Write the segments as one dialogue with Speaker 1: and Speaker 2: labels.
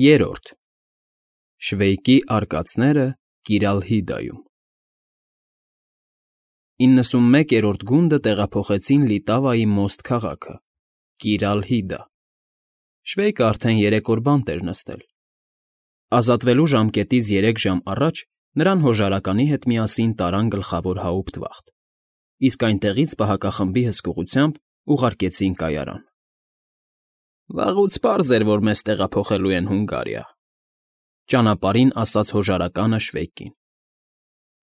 Speaker 1: Երրորդ Շվեյկի արկածները Կիրալհիդայում 91-րդ գունդը տեղափոխեցին Լիտավայի մոստ քաղաքը, Կիրալհիդա։ Շվեյկը արդեն 3 օր բանտ էր նստել։ Ազատվելու ժամկետից 3 ժամ առաջ նրան հոժարականի հետ միասին տարան գլխավոր հաուպտվախտ, իսկ այնտեղից պահակախմբի հսկողությամբ ուղարկեցին կայարան։ Վաղուց պարզ էր, որ մեզ տեղափոխելու են Հունգարիա, ճանապարհին ասաց հոժարականը Շվեյկին։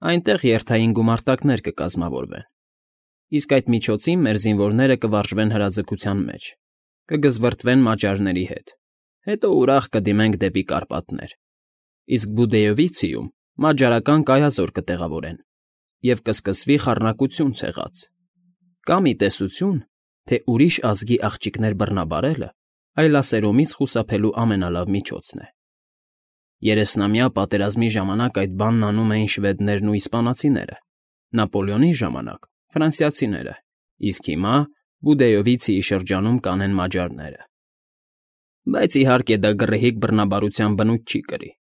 Speaker 1: Այնտեղ երթային գումարտակներ կկազմավորվեն, իսկ այդ միջոցին մեր զինվորները կվարժվեն հրաձգության մեջ, կգզվրտվեն մաճարների հետ, հետո ուրախ կդիմենք դեպի Կարպատներ, իսկ Բուդեյովիցիում մաճարական կայազոր կտեղավորեն և կսկսվի խառնակություն ցեղած, կամ ի տեսություն, թե ուրիշ ազգի աղջիկներ բռնաբարելը այլասերումից խուսափելու ամենալավ միջոցն է։ 30-ամյա պատերազմի ժամանակ այդ բանն անում էին շվեդներն ու իսպանացիները, Նապոլեոնի ժամանակ՝ ֆրանսիացիները, իսկ հիմա Բուդեյովիցիի շրջանում կանեն մաջարները։ Բայց իհարկե դա գռեհիկ բռնաբարության բնույթ չի կրի,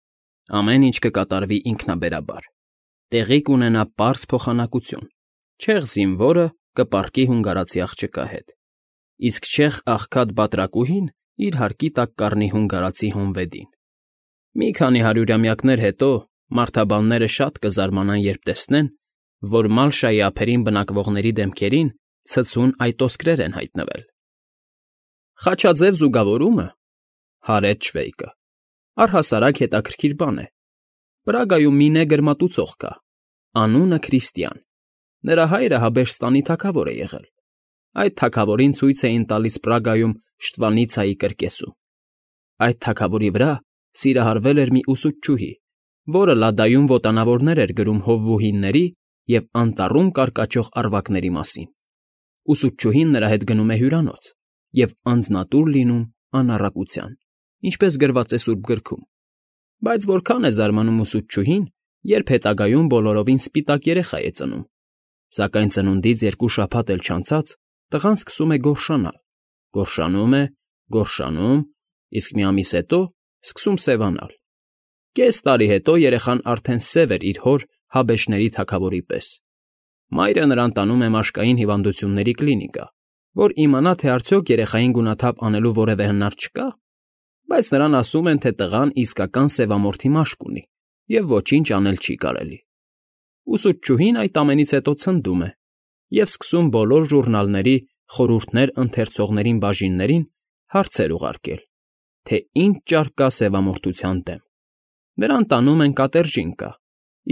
Speaker 1: ամեն ինչ կկատարվի ինքնաբերաբար, տեղի կունենա պարզ փոխանակություն, չեղ զինվորը կպառկի հունգարացի աղջկա հետ, իսկ չեղ աղքատ բատրակուհին իր հարկի տակ կառնի հունգարացի հոնվեդին։ Մի քանի հարյուրամյակներ հետո մարդաբանները շատ կզարմանան, երբ տեսնեն, որ Մալշայի ափերին բնակվողների դեմքերին ցցուն այտոսկրեր են հայտնվել։ Խաչաձև զուգավորումը, հարեց Շվեյկը, առհասարակ հետաքրքիր բան է։ Պրագայում մի նեգր մատուցող կա, անունը Քրիստիան, նրա հայրը Հաբերստանի թագավոր է եղել։ Այդ թագավորին ցույց էին տալիս Պրագայում Շտվանիցայի կրկեսում։ Այդ թագավորի վրա սիրահարվել էր մի ուսուցչուհի, որը լադայում ոտանավորներ էր գրում հովվուհիների և անտառում կարկաչող առվակների մասին։ Ուսուցչուհին նրա հետ գնում է հյուրանոց և անձնատուր լինում անառակության, ինչպես գրված է Սուրբ Գրքում։ Բայց որքան է զարմանում ուսուցչուհին, երբ հետագայում բոլորովին սպիտակ երեխա է ծնում, սակայն ծնունդից 2 շաբաթ էլ չանցած տղան սկսում է գորշանալ, գորշանում, իսկ մի ամիս հետո սկսում սևանալ։ Կես տարի հետո երեխան արդեն սև էր իր հոր Հաբեշների թագավորի պես։ Մայրը նրան տանում է մաշկային հիվանդությունների կլինիկա, որ իմանա, թե արդյոք երեխային գունաթափ անելու որևէ հնար չկա, բայց նրան ասում են, թե տղան իսկական սևամորթի մաշկ ունի և ոչինչ անել չի կարելի։ Ուսուցչուհին այդ ամենից հետո ցնդում է և սկսում բոլոր ժուռնալների խորհուրդներ ընթերցողներին բաժիններին հարցեր ուղարկել, թե ինչ ճար կա սևամորթության դեմ։ Նրան տանում են կատերջինկա,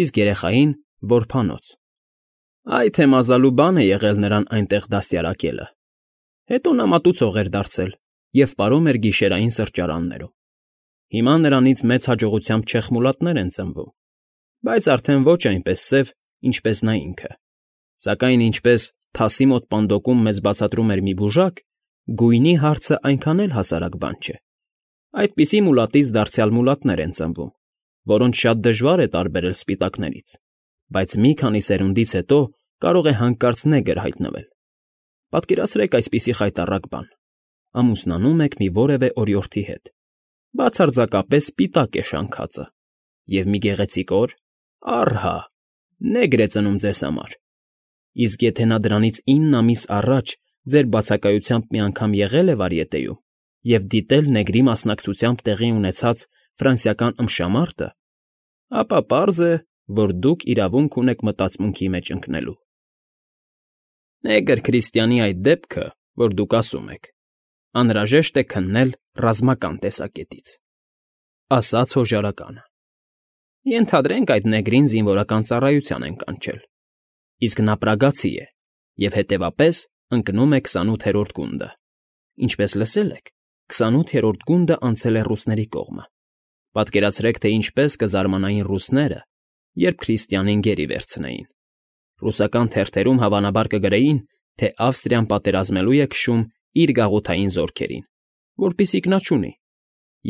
Speaker 1: իսկ երեխային՝ որբանոց։ Այ թե մազալու բան է եղել նրան այնտեղ դաստիարակելը։ Հետո նա մատուցող էր դարձել և պարում էր գիշերային սրճարաններում։ Հիմա նրանից մեծ հաջողությամբ չեխմուլատներ են ծնվում, բայց արդեն ոչ այնպես սև, ինչպես նա ինքը։ Սակայն ինչպես թասի մոտ պանդոկում մեզ բացատրում էր մի բուժակ, գույնի հարցը այնքան էլ հասարակ բան չէ։ Այդպիսի մուլատից դարձյալ մուլատներ են ծնվում, որոնց շատ դժվար է տարբերել սպիտակներից, բայց մի քանի սերունդից հետո կարող է հանկարծ նեգր հայտնվել։ Պատկերացրեք այսպիսի խայտառակ բան. ամուսնանում եք մի որևէ օրիորդի հետ, բացարձակապես սպիտակ է շանքածը, և մի գեղեցիկ օր, առհա, նեգր է ծնում ձեզ համար։ Իսկ եթե նա դրանից 9 ամիս առաջ ձեր բացակայությամբ մի անգամ եղել է վարիետեյում և դիտել նեգրի մասնակցությամբ տեղի ունեցած ֆրանսիական ըմբշամարտը, ապա պարզ է, որ դուք իրավունք ունեք մտածմունքի մեջ ընկնելու։ Նեգր Քրիստիանի այդ դեպքը, որ դուք ասում եք, անհրաժեշտ է քննել ռազմական տեսակետից, ասաց հոժարականը։ Ենթադրենք այդ նեգրին զինվորական ծառայության են կանչել, իսկ նա պրագացի է և հետևապես ընկնում է 28-րդ գունդը։ Ինչպես լսել եք, 28-րդ գունդը անցել է ռուսների կողմը։ Պատկերացրեք, թե ինչպես կզարմանային ռուսները, երբ Քրիստիանին գերի վերցնեին։ Ռուսական թերթերում հավանաբար կգրեին, թե Ավստրիան պատերազմելու է քշում իր գաղութային զորքերին, որպիսիք նա չունի,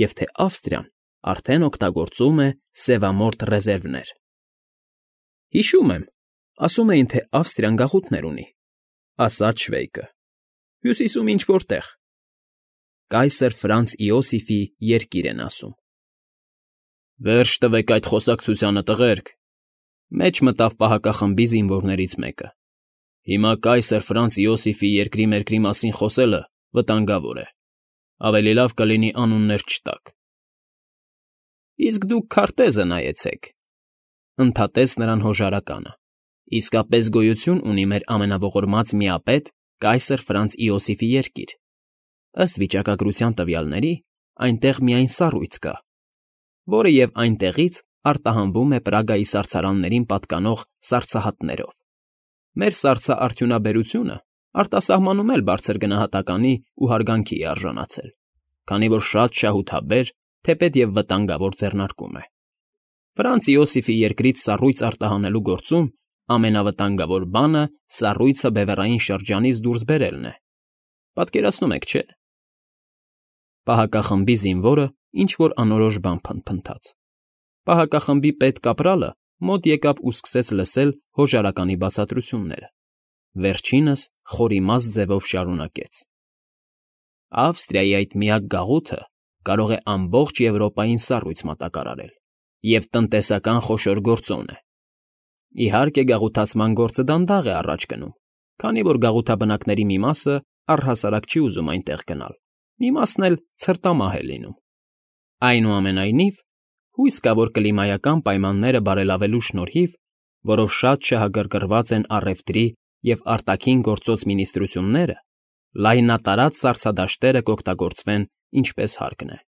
Speaker 1: և թե Ավստրիան արդեն օգտագործում է սևամորթ ռեզերվներ։ Հիշում եմ, ասում էին, թե Ավստրիան գաղութներ ունի, ասաց Շվեյկը։ Հյուսիսում ինչ֊որ տեղ։ Կայսր Ֆրանց Իոսիֆի երկիր են ասում։ Վերջ տվեք այդ խոսակցությանը, տղերք,֊ մեջ մտավ պահակախմբի զինվորներից մեկը։ Հիմա կայսր Ֆրանց Իոսիֆի երկրի մերկրի մասին խոսելը վտանգավոր է։ Ավելի լավ կլինի անուններ չտաք։ Իսկ դուք քարտեզը նայեցեք,֊ ընդհատեց նրան հոժարականը։ Իսկապես գոյություն ունի մեր ամենաողորմած միապետ կայսր Ֆրանց Իոսիֆի երկիր։ Ըստ վիճակագրության տվյալների, այնտեղ միայն սառույց կա, որը և այնտեղից արտահանվում է Պրագայի սառցարաններին պատկանող սառցահատներով։ Մեր սառցաարդյունաբերությունը արտասահմանում էլ բարձր գնահատականի ու հարգանքի է արժանացել, քանի որ շատ շահութաբեր, թեպետ և վտանգավոր ձեռնարկում է։ Ֆրանց Իոսիֆի երկրից սառույց արտահանելու գործում ամենավտանգավոր բանը սառույցը բևեռային շրջանից դուրս բերելն է։ Պատկերացնում եք, չէ՞։ Պահակախմբի զինվորը ինչ֊որ անորոշ բան փնթփնթաց։ Պահակախմբի պետկապրալը մոտ եկավ ու սկսեց լսել հոժարականի բացատրությունները։ Վերջինս խորիմաստ ձևով շարունակեց. Ավստրիայի այդ միակ գաղութը կարող է ամբողջ Եվրոպային սառույց մատակարարել և տնտեսական խոշոր գործոն է։ Իհարկե, գաղութացման գործը դանդաղ է առաջ գնում, քանի որ գաղութաբնակների մի մասը առհասարակ չի ուզում այնտեղ գնալ, մի մասն էլ ցրտամահ է լինում։ Այնուամենայնիվ, հույս կա, որ կլիմայական պայմանները բարելավելու շնորհիվ, որով շատ շահագրգռված են առևտրի և արտաքին գործոց մինիստրությունները, լայնատարած սառցադաշտերը կօգտագործվեն ինչպես հարկն է։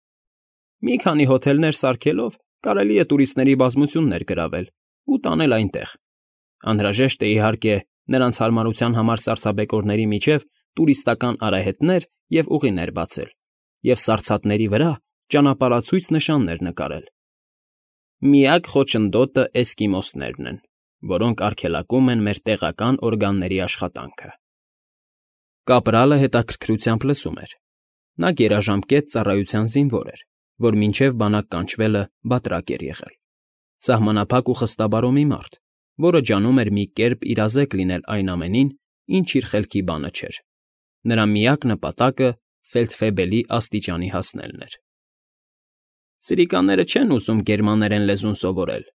Speaker 1: Մի քանի հոթելներ սարքելով կարելի է տուրիստների բազմություններ գրավել ու տանել այնտեղ։ Անհրաժեշտ է, իհարկե, նրանց հարմարության համար սառցաբեկորների միջև տուրիստական արահետներ և ուղիներ բացել և սառցատների վրա ճանապարհացույց նշաններ նկարել։ Միակ խոչընդոտը էսկիմոսներն են, որոնք արգելակում են մեր տեղական օրգանների աշխատանքը։ Կապրալը հետաքրքրությամբ լսում էր։ Նա գերաժամկետ ծառայության զինվոր էր, որ մինչև բանակ կանչվելը բատրակ էր եղել։ Սահմանափակ ու խստաբարո մի մարդ, որը ջանում էր մի կերպ իրազեկ լինել այն ամենին, ինչ իր խելքի բանը չէր։ Նրա միակ նպատակը ֆելդֆեբելի աստիճանի հասնելն էր։ Սրիկանները չեն ուզում գերմաներեն լեզուն սովորել,֊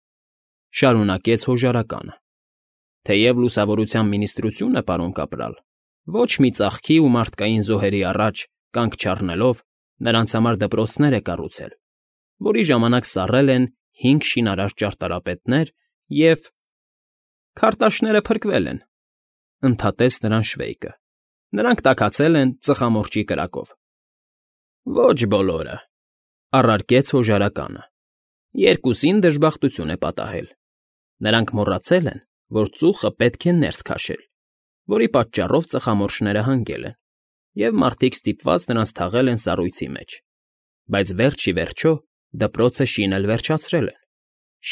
Speaker 1: շարունակեց հոժարականը։ Թեև լուսավորության մինիստրությունը, պարոն կապրալ, ոչ մի ծախքի ու մարդկային զոհերի առաջ կանգ չառնելով նրանց համար դպրոցներ է կառուցել, որի ժամանակ սառել են 5 շինարար ճարտարապետներ և… Քարտաշները փրկվել են,֊ ընդհատեց նրան Շվեյկը։ Նրանք տաքացել են ծխամորճի կրակով։ Ոչ բոլորը,֊ առարկեց հոժարականը։ Երկուսին դժբախտություն է պատահել։ Նրանք մոռացել են, որ ծուխը պետք է ներս քաշել, որի պատճառով ծխամորճները հանգել են, և մարդիկ ստիպված նրանց թաղել են սառույցի մեջ։ Բայց վերջ ի վերջո դպրոցը շինել վերջացրել են։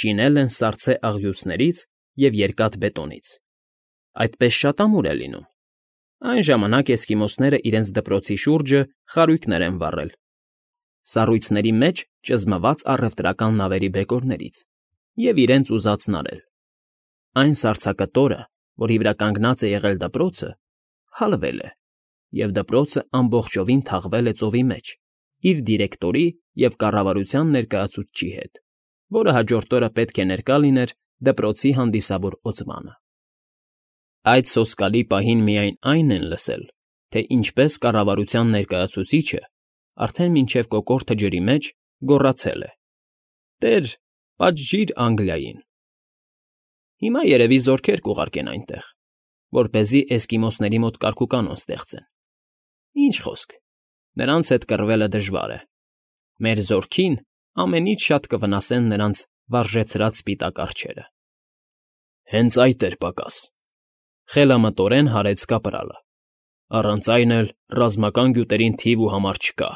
Speaker 1: Շինել են սառցե աղյուսներից և երկաթ բետոնից։ Այդպես շատ ամուր է լինում։ Այն ժամանակ էսկիմոսները իրենց դպրոցի շուրջը խարույկներ են վառել, սառույցների մեջ ճզմված առևտրական նավերի բեկորներից և իրենց ուզածն արել։ Այն սառցակտորը, որի վրա կանգնած է եղել դպրոցը, հալվել է, և դպրոցը ամբողջովին թաղվել է ծովի մեջ իր դիրեկտորի և կառավարության ներկայացուցչի հետ, որը հաջորդ օրը պետք է ներկա լիներ դպրոցի հանդիսավոր օծմանը։ Այդ սոսկալի պահին միայն այն են լսել, թե ինչպես կառավարության ներկայացուցիչը արդեն մինչև կոկորդը ջրի մեջ գոռացել է. «Տեր, պատժիր Անգլիային»։ Հիմա երևի զորքեր կուղարկեն այնտեղ, որպեսզի էսկիմոսների մոտ կարգուկանոն ստեղծեն։ Ինչ խոսք, նրանց հետ կռվելը դժվար է։ Մեր զորքին ամենից շատ կվնասեն նրանց վարժեցրած սպիտակ արջերը։ Հենց այդ էր պակաս,֊ խելամտորեն հարեց կապրալը։ Առանց այն էլ ռազմական գյուտերին թիվ ու համար չկա։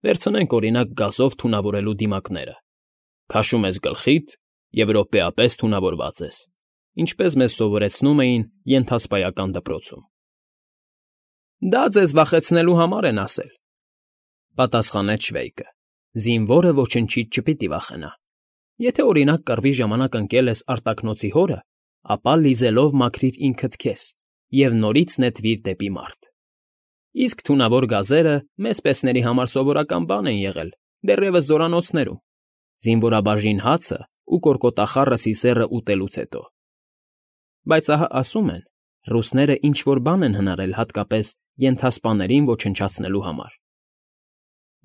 Speaker 1: Վերցնենք, օրինակ, գազով թունավորելու դիմակները։ Քաշում ես գլխիդ և րոպեապես թունավորված ես, ինչպես մեզ սովորեցնում էին ենթասպայական դպրոցում։ Դա ձեզ վախեցնելու համար են ասել,֊ պատասխանեց Շվեյկը։ Զինվորը ոչնչից չպիտի վախենա։ Եթե, օրինակ, կռվի ժամանակ ընկել ես արտաքնոցի հորը, ապա լիզելով մաքրիր ինքդ քեզ և նորից նետվիր դեպի մարտ։ Իսկ թունավոր գազերը մեզ պեսների համար սովորական բան են եղել դեռևս զորանոցներում։ զինվորաբաժին հացը ու կորկոտախառը սիսեռը ուտելուց հետո։ Բայց ահա ասում են, ռուսները ինչ֊որ բան են հնարել հատկապես ենթասպաներին ոչնչացնելու համար։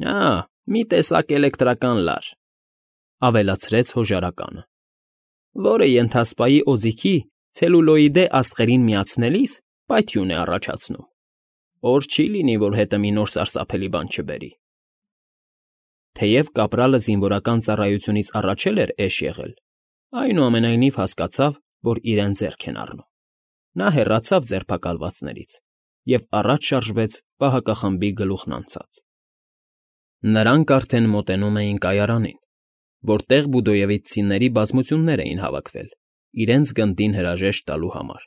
Speaker 1: «Ա, մի տեսակ էլեկտրական լար», ավելացրեց հոժարականը, որը ենթասպայի օձիքի ցելուլոիդե աստղերին միացնելիս պայթյուն է առաջացնում։ Օր չի լինի, որ հետը մի նոր սարսափելի բան չբերի։ Թեև կապրալը զինվորական ծառայությունից առաջ էր էշ եղել, այնուամենայնիվ հասկացավ, որ իրեն ձեռք են առնում։ Նա հեռացավ ձերբակալվածներից և առաջ շարժվեց պահակախմբի գլուխն անցած։ Նրանք արդեն մոտենում էին կայարանին, որտեղ բուդոևիցցիների բազմություններ էին հավաքվել իրենց գնդին հրաժեշտ տալու համար։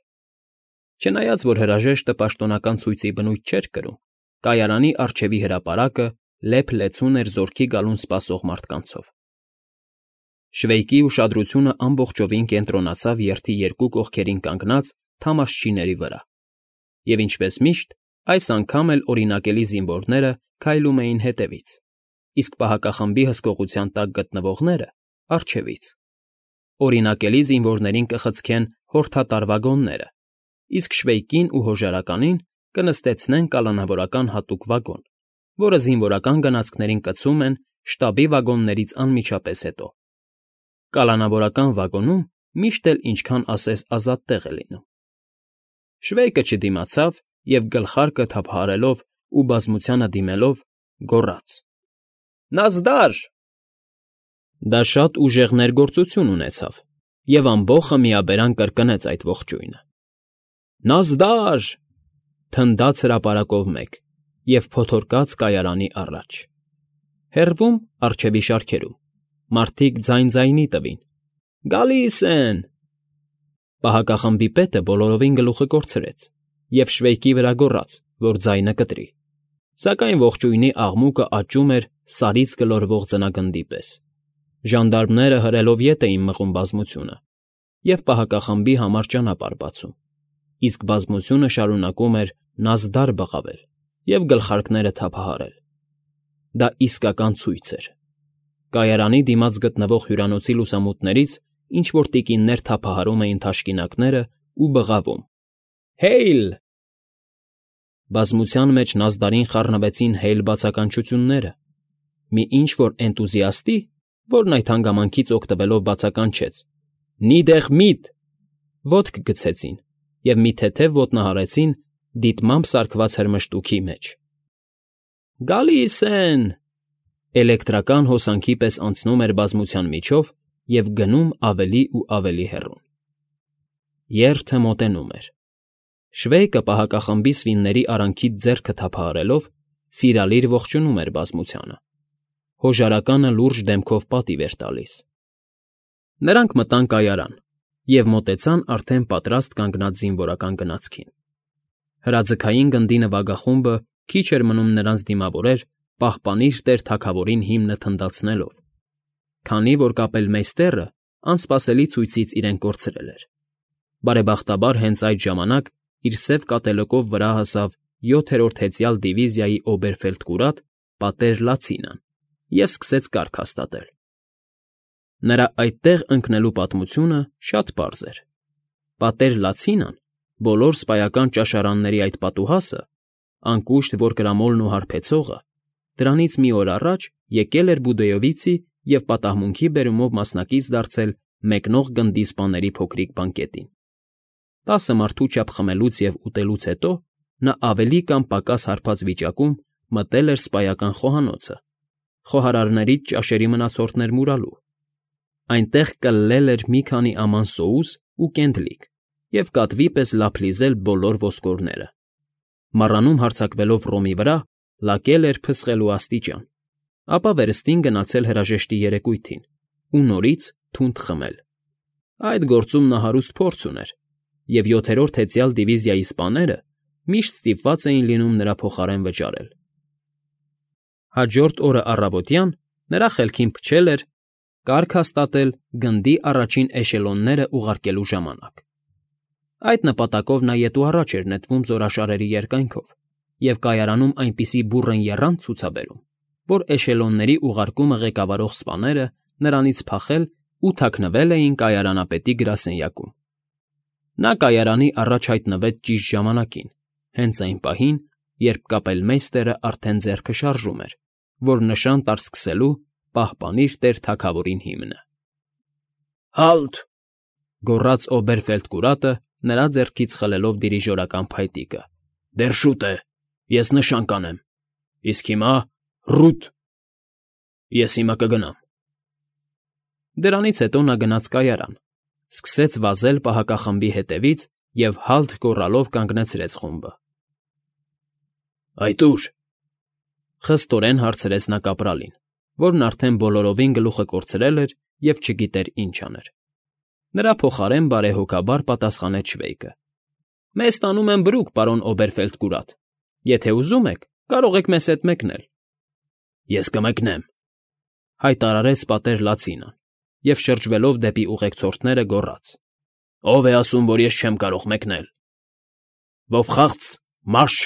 Speaker 1: Չնայած որ հրաժեշտը պաշտոնական ցույցի բնույթ չէր կրում, կայարանի առջևի հրապարակը լեփ-լեցուն էր զորքի գալուն սպասող մարդկանցով։ Շվեյկի ուշադրությունը ամբողջովին կենտրոնացավ երթի երկու կողքերին կանգնած թամաշչիների վրա, և ինչպես միշտ, այս անգամ էլ օրինակելի զինվորները քայլում էին հետևից, իսկ պահակախմբի հսկողության տակ գտնվողները՝ առջևից։ Օրինակելի զինվորներին կխցկեն հորդատար վագոնները, իսկ Շվեյկին ու հոժարականին կնստեցնեն կալանավորական հատուկ վագոն, որը զինվորական գնացքներին կցում են շտաբի վագոններից անմիջապես հետո։ Կալանավորական վագոնում միշտ էլ ինչքան ասես ազատ տեղ է լինում։ Շվեյկը չդիմացավ և գլխարկը թափահարելով ու բազմությանը դիմելով գոռաց. «Նազդար»։ Դա շատ ուժեղ ներգործություն ունեցավ, և ամբոխը միաբերան կրկնեց այդ ողջույնը։ «Նազդար»։ Թնդաց հրապարակով մեկ և փոթորկաց կայարանի առաջ։ Հեռվում, առջևի շարքերում, մարդիկ ձայն֊ձայնի տվին. «Գալիս են»։ Պահակախմբի պետը բոլորովին գլուխը կորցրեց և Շվեյկի վրա գոռաց, որ ձայնը կտրի, սակայն ողջույնի աղմուկը աճում էր սարից գլորվող ձնագնդի պես։ Ժանդարմները հրելով ետ էին մղում բազմությունը և պահակախմբի համար ճանապարհ բացում, իսկ բազմությունը շարունակում էր նազդար բղավել և գլխարկները թափահարել։ Դա իսկական ցույց էր։ Կայարանի դիմաց գտնվող հյուրանոցի լուսամուտներից ինչ֊որ տիկիններ թափահարում էին թաշկինակներն ու բղավում. «Հեյլ»։ Բազմության մեջ նազդարին խառնվեցին հեյլ բացականչությունները։ Մի ինչ֊որ էնտուզիաստի, որն այդ հանգամանքից օգտվելով բացականչեց. «Նիդեղ միտ»։ Ոտք գցեցին և մի թեթև ոտնահարեցին դիտմամբ սարքված հրմշտուքի մեջ։ «Գալիս են»։ Էլեկտրական հոսանքի պես անցնում էր բազմության միջով և գնում ավելի ու ավելի հեռուն։ Երթը մոտենում էր։ Շվեյկը պահակախմբի սվինների արանքից ձեռքը թափահարելով սիրալիր ողջունում էր բազմությանը։ Հոժարականը լուրջ դեմքով պատիվ էր տալիս։ Նրանք մտան կայարան և մոտեցան արդեն պատրաստ կանգնած զինվորական գնացքին։ Հրաձգային գնդի նվագախումբը քիչ էր մնում նրանց դիմավորեր «Պահպանիր Տեր թագավորին» հիմնը թնդացնելով, քանի որ կապելմեյստերը անսպասելի ցույցից իրեն կորցրել էր։ Բարեբախտաբար հենց այդ ժամանակ իր սև կատելοκով վրա հասավ 7-րդ հեծյալ դիվիզիայի օբերֆելդկուրատ պատեր Լացինան և սկսեց կարգ հաստատել։ Նրա այդտեղ ընկնելու պատմությունը շատ պարզ էր։ Պատեր Լացինան, բոլոր սպայական ճաշարանների այդ պատուհասը, անկուշտ որ կրամոլն ու հարբեցողը, դրանից մի օր առաջ եկել էր Բուդոյովիցի և պատահմունքի բերումով մասնակից դարձել մեկնող գնդի սպաների փոքրիկ բանկետին։ 10 մարդու չափ խմելուց և ուտելուց հետո նա ավելի կամ պակաս հարբած վիճակում մտել էր սպայական խոհանոցը, խոհարարներից ճաշերի մնացորդներ մուրալու։ Այնտեղ կլլել էր մի քանի աման սոուս ու կենդլիկ և կատվի պես լափ լիզել բոլոր ոսկորները։ Մառանում հարձակվելով Ռոմի վրա լակել էր փսխելու աստիճան, ապա վերստին գնացել հրաժեշտի երեկույթին ու նորից թունդ խմել։ Այդ գործում նա հարուստ փորձ ուներ, և 7-րդ հեծյալ դիվիզիայի սպաները միշտ ստիպված էին լինում նրա փոխարեն վճարել։ Հաջորդ օրը առավոտյան նրա խելքին փչել էր կարգ հաստատել գնդի առաջին էշելոնները ուղարկելու ժամանակ։ Այդ նպատակով նա ետ ու առաջ էր նետվում զորաշարերի երկայնքով և կայարանում այնպիսի բուռն եռանդ ցուցաբերում, որ էշելոնների ուղարկումը ղեկավարող սպաները նրանից փախել ու թաքնվել էին կայարանապետի գրասենյակում։ Նա կայարանի առաջ հայտնվեց ճիշտ ժամանակին, հենց այն պահին, երբ կապելմեյստերը արդեն ձեռքը շարժում էր, որ նշան տար սկսելու «Պահպանիր Տեր թագավորին» հիմնը։ «Հա՛լտ,֊ գոռաց Օբերֆելդկուրատը, նրա ձեռքից խլելով դիրիժորական փայտիկը։֊ Դեռ շուտ է, ես նշան կանեմ, իսկ հիմա՝ ռուտ… Ես հիմա կգնամ»։ Դրանից հետո նա գնաց կայարան, սկսեց վազել պահակախմբի հետևից և «հա՛լտ» գոռալով կանգնեցրեց խումբը։ «Այդ ո՞ւր,֊ խստորեն հարցրեց նա կապրալին, որն արդեն բոլորովին գլուխը կորցրել էր և չգիտեր ինչ աներ։ Նրա փոխարեն բարեհոգաբար պատասխանեց շվեյկը։ «Մեզ տանում են բրուկ, պարոն Օբերֆելդկուրատ. եթե ուզում եք, կարող եք մեզ հետ մեկնել»։ «Ես կմեկնեմ,֊ հայտարարեց պատեր Լացինան և, շրջվելով դեպի ուղեկցորդները, գոռաց. «Ո՞վ է ասում, որ ես չեմ կարող մեկնել։ Վովխաղց, մարշ»։